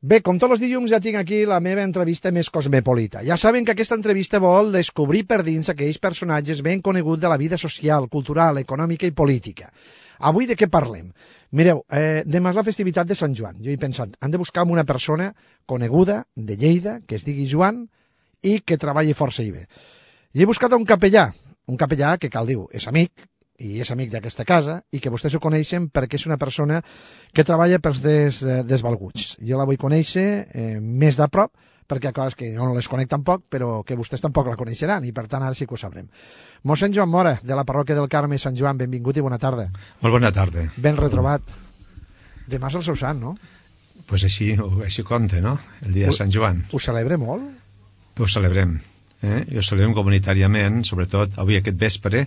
Bé, com tots els dilluns ja tinc aquí la meva entrevista més cosmopolita. Ja saben que aquesta entrevista vol descobrir per dins aquells personatges ben coneguts de la vida social, cultural, econòmica i política. Avui de què parlem? Mireu, demà és la festivitat de Sant Joan. Jo he pensat, han de buscar una persona coneguda de Lleida, que es digui Joan i que treballi força i bé. I he buscat un capellà que cal dir, és amic, i és amic d'aquesta casa, i que vostès ho coneixen perquè és una persona que treballa pels desvalguts. Jo la vull conèixer més de prop, perquè hi ha coses que jo no les conec tampoc, però que vostès tampoc la coneixeran, i per tant ara sí que ho sabrem. Mossèn Joan Mora, de la parròquia del Carme Sant Joan, benvingut i bona tarda. Molt bona tarda. Ben retrobat. Demà és el seu sant, no? Pues així compta, no? El dia de Sant Joan. Ho celebre molt? Ho celebrem. I ho celebrem comunitàriament, sobretot avui aquest vespre,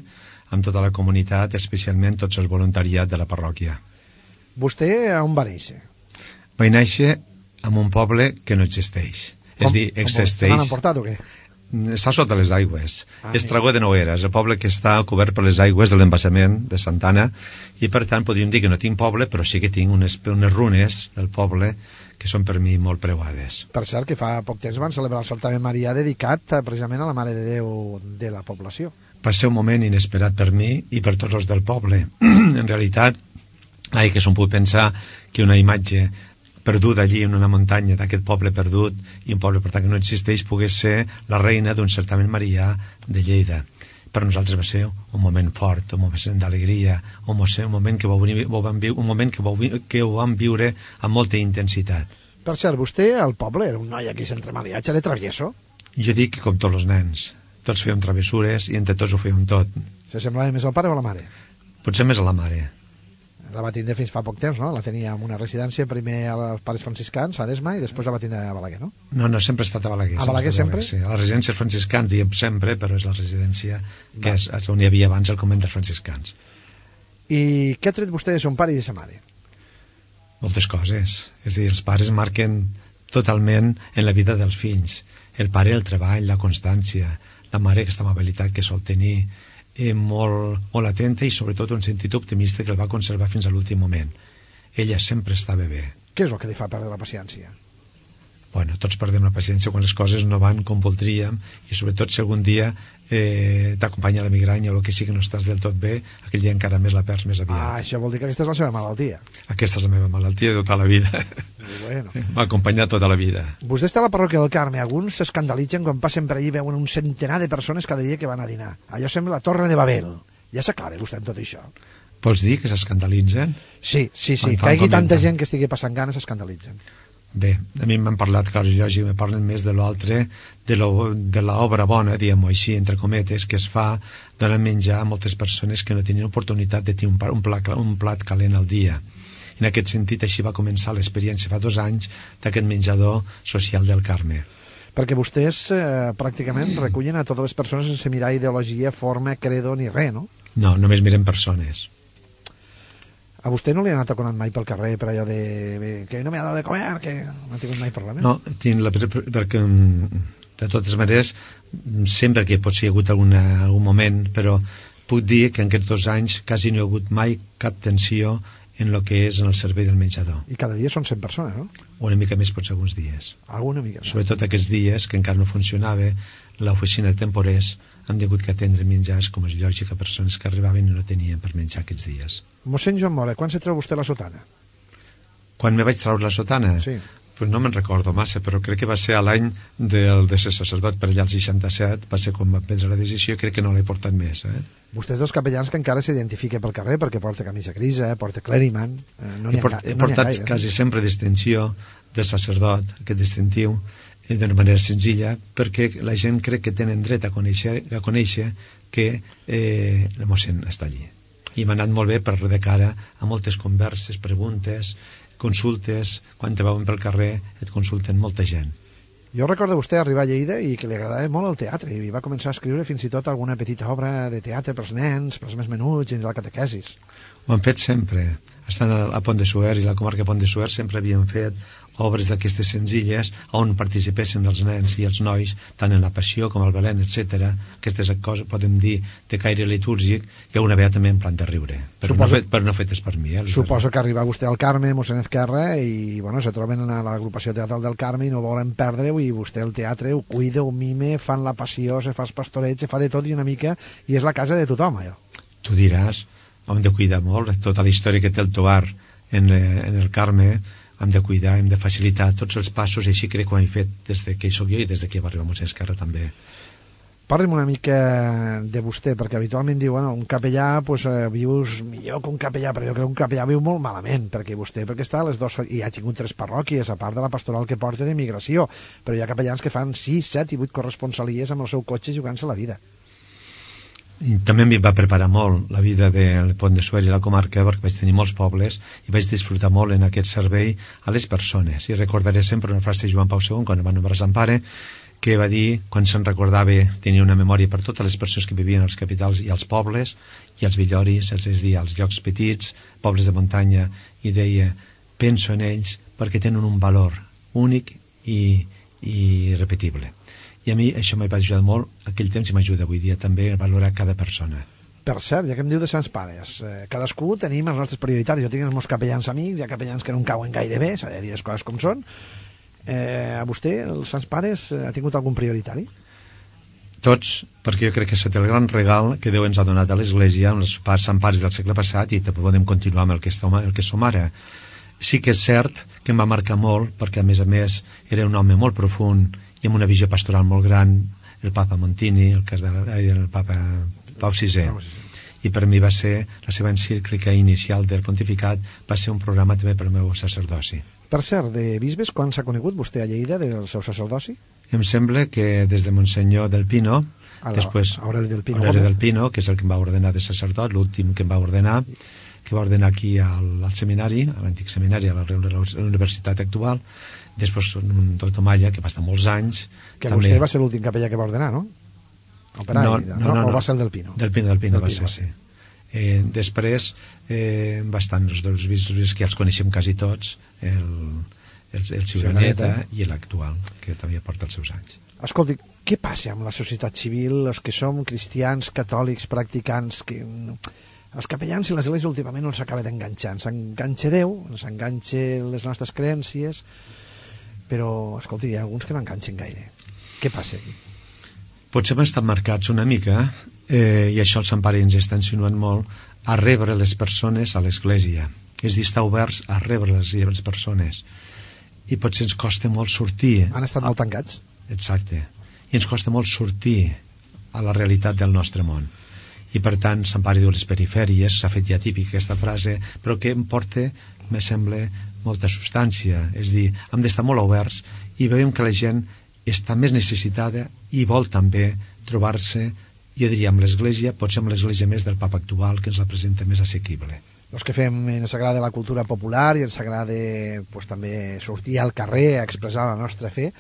amb tota la comunitat, especialment tots els voluntariat de la parròquia. Vostè on va néixer? Va néixer en un poble que no existeix. És dir, existeix... Se l'han emportat o què? Està sota les aigües. És Tragó de Noguera, és el poble que està cobert per les aigües de l'embassament de Santana, i per tant podríem dir que no tinc poble, però sí que tinc unes runes del poble que són per mi molt preuades. Per cert, que fa poc temps van celebrar el certamen Marià dedicat precisament a la Mare de Déu de la població. Va ser un moment inesperat per mi i per tots els del poble. En realitat, que s'ho puc pensar que una imatge perduda allí en una muntanya d'aquest poble perdut, i un poble per tant que no existeix, pogués ser la reina d'un certamen marià de Lleida. Per nosaltres va ser un moment fort, un moment d'alegria, un moment que ho vam viure amb molta intensitat. Per cert, vostè al poble era un noi aquí sense mariatge, era travieso? Jo dic que com tots els nens, tots fèiem travessures i entre tots ho fèiem tot. Se semblava més al pare o a la mare? Potser més a la mare. La va tindre fins fa poc temps, no? La tenia en una residència, primer als pares franciscans, a Desma, i després la va tindre a Balaguer, no? No, sempre ha estat a Balaguer. A Balaguer sempre? Sí, a la residència dels franciscans diem sempre, però és la residència que és on hi havia abans el convent dels franciscans. I què ha tret vostè de son pare i de sa mare? Moltes coses. És a dir, els pares marquen totalment en la vida dels fills. El pare, el treball, la constància, la mare, aquesta amabilitat que sol tenir, molt atenta i sobretot un sentit optimista que el va conservar fins a l'últim moment. Ella sempre estava bé. Què és el que li fa perdre la paciència? Bueno, tots perdem la paciència quan les coses no van com voldríem, i sobretot si algun dia t'acompanya la migranya o el que sigui que no estàs del tot bé, aquell dia encara més la perds més aviat. Això vol dir que aquesta és la seva malaltia. Aquesta és la meva malaltia de tota la vida. Bueno. M'ha acompanyat tota la vida. Vostè està a la parròquia del Carme. Alguns s'escandalitzen quan passen per allí i veuen un centenar de persones cada dia que van a dinar. Allò sembla la Torre de Babel. Ja s'aclara vostè en tot això? Vols dir que s'escandalitzen? Sí. Que hi hagi tanta gent que estigui passant ganes s'escandalitzen. Bé, a mi m'han parlat, clar, lògic, me parlen més de l'altre, de l'obra bona, diguem-ho així, entre cometes, que es fa donant menjar a moltes persones que no tenien oportunitat de tenir un plat calent al dia. En aquest sentit, així va començar l'experiència fa 2 anys d'aquest menjador social del Carme. Perquè vostès pràcticament recullen a totes les persones sense mirar ideologia, forma, credo ni res, no? No, només miren persones. A vostè no li ha anat aconant mai pel carrer per allò de que no m'ha dado de comer, que no ha tingut mai problema? No, perquè de totes maneres sempre que potser hi ha hagut algun moment, però puc dir que en aquests 2 anys quasi no hi ha hagut mai cap tensió en el que és en el servei del menjador. I cada dia són 100 persones, no? Una mica més potser alguns dies. Alguna mica més. Sobretot aquests dies que encara no funcionava l'oficina de temporers, han tingut que atendre menjars, com és lògic, a persones que arribaven i no tenien per menjar aquests dies. Mossèn Joan Mora, quan se treu vostè la sotana? Quan me vaig treure la sotana? Sí. Pues no me'n recordo massa, però crec que va ser a l'any de ser sacerdot, per allà al 67, va ser quan va prendre la decisió, crec que no l'he portat més. Vostè és dels capellans que encara s'identifica pel carrer, perquè porta camisa grisa, porta cleriman... He portat quasi sempre distinció de sacerdot, aquest distintiu, d'una manera senzilla, perquè la gent crec que tenen dret a conèixer que el mossèn està allí. I m'ha anat molt bé per de cara a moltes converses, preguntes, consultes. Quan te veuen pel carrer et consulten molta gent. Jo recordo vostè arribar a Lleida i que li agradava molt el teatre i va començar a escriure fins i tot alguna petita obra de teatre pels nens, pels més menuts, dins de la catequesis. Ho han fet sempre. Estant a Pont de Suert i la comarca de Pont de Suert sempre havien fet obres d'aquestes senzilles on participessin els nens i els nois tant en la Passió com el Belén, etc. Aquestes coses, podem dir, de caire litúrgic, i una vegada també en plan de riure, però no fetes per mi. Suposo que arriba vostè al Carme, mossèn Ezquerra, i bueno, se troben a l'agrupació teatral del Carme i no volen perdre-ho, i vostè el teatre ho cuida, ho mime, fan la Passió, se fa els pastorets, se fa de tot i una mica, i és la casa de tothom, allò. Tu diràs, hem de cuidar molt tota la història que té el Tovar en el Carme, hem de cuidar, hem de facilitar tots els passos, i així crec que ho hem fet des que hi soc jo i des que va arribar mossèn Ezquerra també. Parli'm una mica de vostè, perquè habitualment diu, bueno, un capellà vius millor que un capellà, però jo crec que un capellà viu molt malament, perquè està a les dues, i ha tingut 3 parròquies, a part de la pastoral que porta de migració, però hi ha capellans que fan 6, 7 i 8 corresponsalies amb el seu cotxe jugant-se la vida. I també em va preparar molt la vida del Pont de Suert i la comarca, perquè vaig tenir molts pobles i vaig disfrutar molt en aquest servei a les persones. I recordaré sempre una frase de Joan Pau II, quan va nombrar Sant Pare, que va dir, quan se'n recordava, tenia una memòria per totes les persones que vivien als capitals i als pobles, i als villoris, és dir, als llocs petits, pobles de muntanya, i deia, penso en ells perquè tenen un valor únic i irrepetible. I a mi això m'ha ajudat molt aquell temps i m'ajuda avui dia també a valorar cada persona. Per cert, ja que em diu de Sants Pares, cadascú tenim els nostres prioritaris. Jo tinc els meus capellans amics, hi ha capellans que no em cauen gaire bé, s'ha de dir les coses com són. A vostè, els Sants Pares, ha tingut algun prioritari? Tots, perquè jo crec que és el gran regal que Déu ens ha donat a l'Església, amb els Sant Pares del segle passat, i també podem continuar amb el que som ara. Sí que és cert que em va marcar molt, perquè a més era un home molt profund i amb una visió pastoral molt gran, el papa Montini, el papa Pau VI. I per mi va ser, la seva encíclica inicial del pontificat va ser un programa també per al meu sacerdoci. Per cert, de bisbes, quan s'ha conegut vostè a Lleida del seu sacerdoci? Em sembla que des de Monsenyor del Pino, després Aureli del Pino, que és el que em va ordenar de sacerdot, l'últim que em va ordenar, que va ordenar aquí al seminari, a l'antic seminari, a la universitat actual. Després un doctor Malla, que va estar molts anys. Que també... vostè va ser l'últim capellà que va ordenar, no? No. O va ser el del Pino? Del Pino va ser, sí. Després va estar els dos bisbes que ja els coneixem quasi tots, el Ciuraneta i l'actual, que també porta els seus anys. Escolti, què passa amb la societat civil, els que som cristians, catòlics, practicants, que... Els capellans i l'Església últimament no s'acaba d'enganxar. S'enganxa Déu, s'enganxa les nostres creencies, però, escolti, hi ha alguns que no enganxen gaire. Què passa aquí? Potser hem estat marcats una mica, i això el Sant Pare ens està insinuant molt, a rebre les persones a l'Església. És dir, estar oberts a rebre les persones. I potser ens costa molt sortir... Han estat molt tancats. Exacte. I ens costa molt sortir a la realitat del nostre món. I per tant, Sant Pare diu les perifèries, s'ha fet ja típica aquesta frase, però que em porta, me sembla, molta substància. És dir, hem d'estar molt oberts i veiem que la gent està més necessitada i vol també trobar-se, jo diria, amb l'Església, potser amb l'Església més del Papa actual, que ens la presenta més assequible. Els que ens agrada la cultura popular i ens agrada també sortir al carrer a expressar la nostra fe,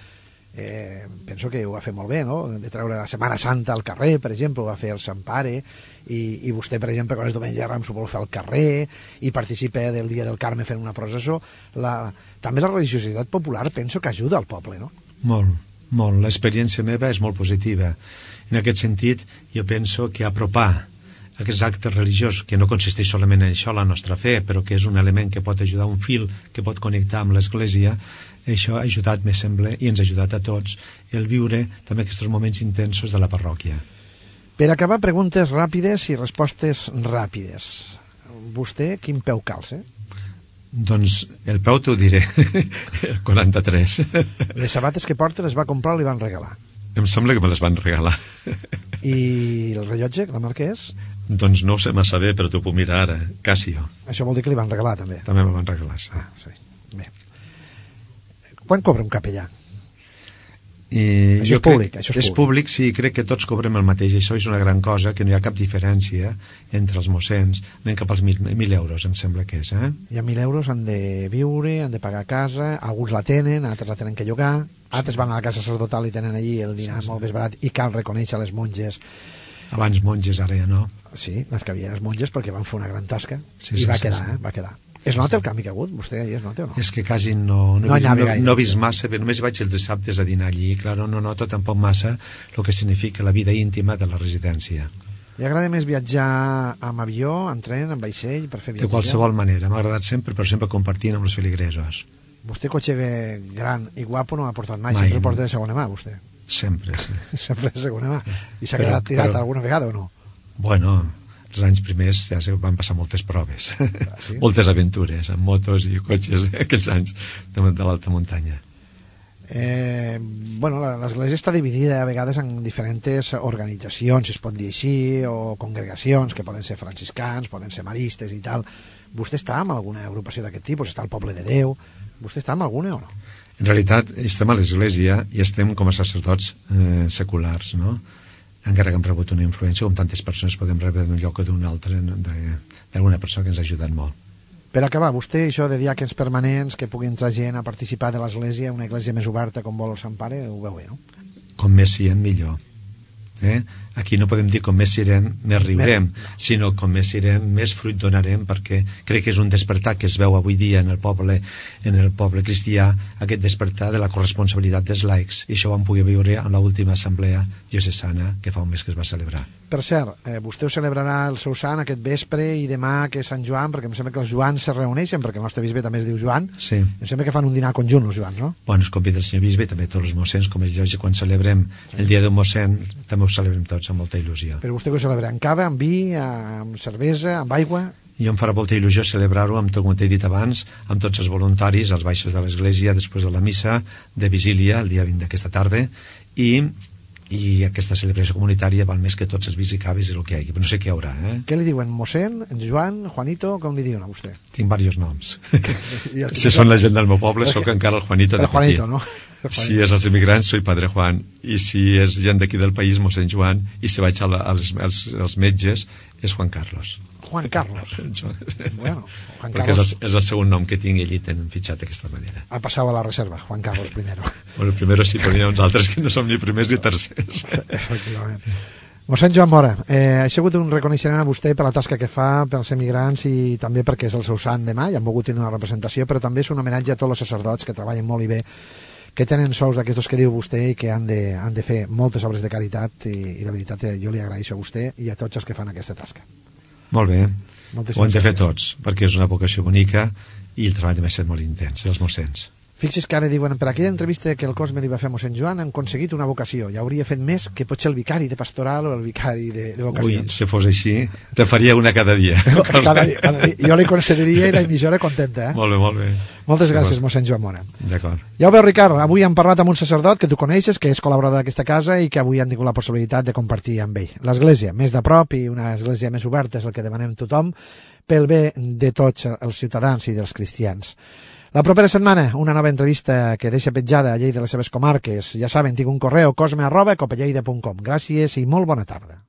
penso que ho va fer molt bé, no? De treure la Setmana Santa al carrer, per exemple, ho va fer el Sant Pare, i vostè, per exemple, quan és diumenge de Rams ho vol fer al carrer, i participa del Dia del Carme fent una processó. També la religiositat popular penso que ajuda al poble, no? Molt, molt. L'experiència meva és molt positiva. En aquest sentit, jo penso que apropar aquests actes religiosos, que no consisteix solament en això, la nostra fe, però que és un element que pot ajudar, un fil que pot connectar amb l'Església, això ha ajudat, me sembla, i ens ha ajudat a tots, el viure també aquests moments intensos de la parròquia. Per acabar, preguntes ràpides i respostes ràpides. Vostè, quin peu calça? Doncs el peu t'ho diré, el 43. Les sabates que porta les va comprar o li van regalar? Em sembla que me les van regalar. I el rellotge, la marca és? Doncs no ho sé massa bé, però t'ho puc mirar ara, Casio. Això vol dir que li van regalar, també? També me van regalar, sí. Sí. Bé. Quant cobra un capellà? Això és públic. És públic, sí, crec que tots cobrem el mateix. Això és una gran cosa, que no hi ha cap diferència entre els mossens. Anem cap als 1.000 euros, em sembla que és. I amb 1.000 euros han de viure, han de pagar casa, alguns la tenen, altres la tenen que llogar, altres van a la casa sacerdotal i tenen allí el dinar molt més barat, i cal reconèixer les monges. Abans monges, ara ja no. Sí, les que havia les monges perquè van fer una gran tasca, i va quedar. Es nota el canvi que ha hagut? Vostè hi es nota o no? És que quasi no he vist massa, però només vaig els dissabtes a dinar allí, clar, no noto tampoc massa el que significa la vida íntima de la residència. Li agrada més viatjar amb avió, en tren, en vaixell, per fer viatges? De qualsevol manera, m'ha agradat sempre, però sempre compartint amb els feligresos. Vostè cotxe gran i guapo no ha portat mai, sempre porta de segona mà, vostè. Sempre, sí. Sempre de segona mà. I s'ha quedat tirat alguna vegada o no? Bueno, els anys primers ja van passar moltes proves, sí? Moltes aventures, amb motos i cotxes, aquells anys de l'alta muntanya. Bueno, l'església està dividida a vegades en diferents organitzacions, si es pot dir així, o congregacions, que poden ser franciscans, poden ser maristes i tal. Vostè està en alguna agrupació d'aquest tipus? Està al Poble de Déu? Vostè està en alguna o no? En realitat estem a l'església i estem com a sacerdots seculars, no? Encara que hem rebut una influència, com tantes persones podem rebre d'un lloc o d'un altre, d'alguna persona que ens ha ajudat molt. Per acabar, vostè, això de diàquens permanents, que pugui entrar gent a participar de l'església, una església més oberta com vol el Sant Pare, ho veu bé, no? Com més siguem, millor. Aquí no podem dir com més sirem, més riurem, sinó com més sirem, més fruit donarem, perquè crec que és un despertar que es veu avui dia en el poble cristià, aquest despertar de la corresponsabilitat dels laics, i això ho vam poder viure en l'última assemblea diocesana que fa un mes que es va celebrar. Per cert, vostè ho celebrarà el seu sant aquest vespre i demà que és Sant Joan, perquè em sembla que els Joans se reuneixen, perquè el nostre bisbe també es diu Joan. Sí. Em sembla que fan un dinar conjunt, els Joans, no? Bueno, es convida el senyor bisbe, també tots els mossens, com és lògic, quan celebrem el dia d'un mossèn, també ho celebrem tots amb molta il·lusió. Però vostè que ho celebra amb cava, amb vi, amb cervesa, amb aigua? I em farà molta il·lusió celebrar-ho amb tot, com t'he dit abans, amb tots els voluntaris als baixos de l'església després de la missa de vigília el dia 20 d'aquesta tarda, i aquesta celebració comunitària val més que tots els vis i caves i el que hi hagi, però no sé què hi haurà. Què li diuen? Mossèn, en Joan, Juanito, com li diuen a vostè? Tinc diversos noms. Si són la gent del meu poble, sóc encara el Juanito de Juanito, no? Si és els immigrants, soy Padre Juan, i si és gent d'aquí del país, mossèn Joan, i si vaig als metges, és Juan Carlos. Juan Carlos. Bueno, Juan perquè Carlos. és el segon nom que tinc i allí tenen fitxat d'aquesta manera. Ha passat a la reserva, Juan Carlos primero. Bueno, primero sí, però hi ha uns altres que no som ni primers ni tercers. Efectivament. Mossèn Joan Mora, ha sigut un reconeixement a vostè per la tasca que fa pels emigrants i també perquè és el seu sant demà i han volgut tenir una representació, però també és un homenatge a tots els sacerdots que treballen molt i bé, que tenen sous d'aquestos que diu vostè i que han de fer moltes obres de caritat i la veritat jo li agraeixo a vostè i a tots els que fan aquesta tasca. Molt bé, Moltes ho hem de fer gràcies. tots, perquè és una vocació bonica i el treball també ha estat molt intens, els mossens. Fixi's que ara diuen, per aquella entrevista que el Cosme li va fer a mossèn Joan han aconseguit una vocació, ja hauria fet més que potser el vicari de pastoral o el vicari de vocacions. Ui, si fos així, te faria una cada dia. Cada dia. Jo li concediria i la emissora contenta, Molt bé, molt bé. Moltes gràcies, mossèn Joan Mora. D'acord. Ja ho veu, Ricard, avui hem parlat amb un sacerdot que tu coneixes, que és col·laborador d'aquesta casa i que avui han tingut la possibilitat de compartir amb ell. L'església, més de prop i una església més oberta és el que demanem tothom pel bé de tots els ciutadans i dels cristians. La propera setmana, una nova entrevista que deixa petjada a Lleida de les seves comarques. Ja saben, tinc un correu cosme@copelleida.com. Gràcies i molt bona tarda.